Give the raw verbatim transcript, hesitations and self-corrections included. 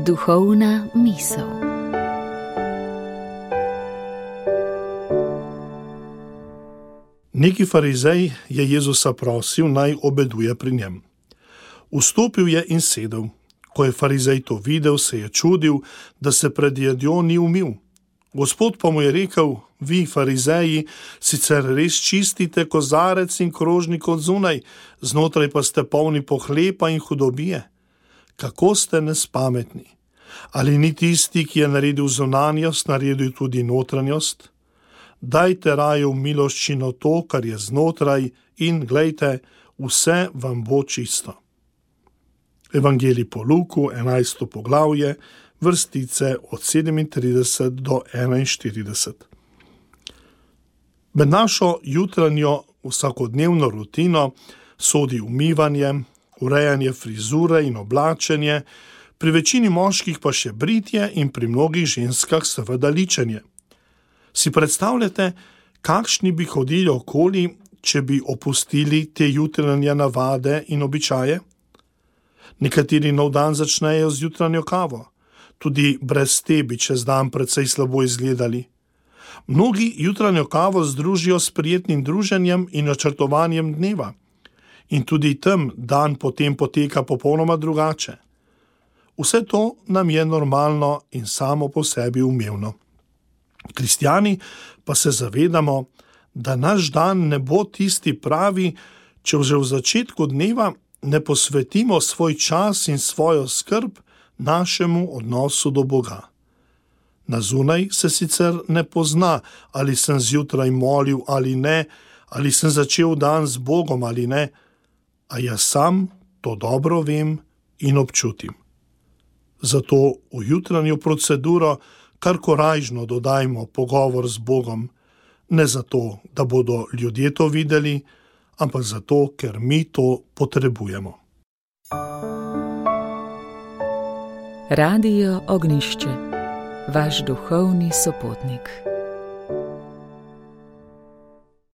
Duhovna misel. Neki farizej je Jezusa prosil, naj obeduje pri njem. Vstopil je in sedel. Ko je farizej to videl, se je čudil, da se pred jedjo ni umil. Gospod pa mu je rekel: vi, farizeji, sicer res čistite kozarec in krožnik od zunaj, znotraj pa ste polni pohlepa in hudobije. Kako ste nespametni? Ali ni tisti, ki je naredil zunanjost, naredil tudi notranjost? Dajte raje v miloščino to, kar je znotraj, in glejte, vse vam bo čisto. Evangelij po Luku, enajsto poglavje, vrstice od sedemintrideset do enainštirideset. Med našo jutranjo vsakodnevno rutino sodi umivanje, urejanje frizure in oblačenje, pri večini moških pa še britje in pri mnogih ženskah seveda ličenje. Si predstavljate, kakšni bi hodili okoli, če bi opustili te jutranje navade in običaje? Nekateri nov dan začnejo z jutranjo kavo. Tudi brez te bi čez dan precej slabo izgledali. Mnogi jutranjo kavo združijo s prijetnim druženjem in načrtovanjem dneva. In tudi tam dan potem poteka popolnoma drugače. Vse to nam je normalno in samo po sebi umevno. Kristjani pa se zavedamo, da naš dan ne bo tisti pravi, če že v začetku dneva ne posvetimo svoj čas in svojo skrb našemu odnosu do Boga. Na zunaj se sicer ne pozna, ali sem zjutraj molil ali ne, ali sem začel dan z Bogom ali ne, a jaz sam to dobro vem in občutim. Zato v jutranjo proceduro kar korajžno dodajmo pogovor z Bogom, ne zato, da bodo ljudje to videli, ampak zato, ker mi to potrebujemo. Radio Ognjišče, vaš duhovni sopotnik.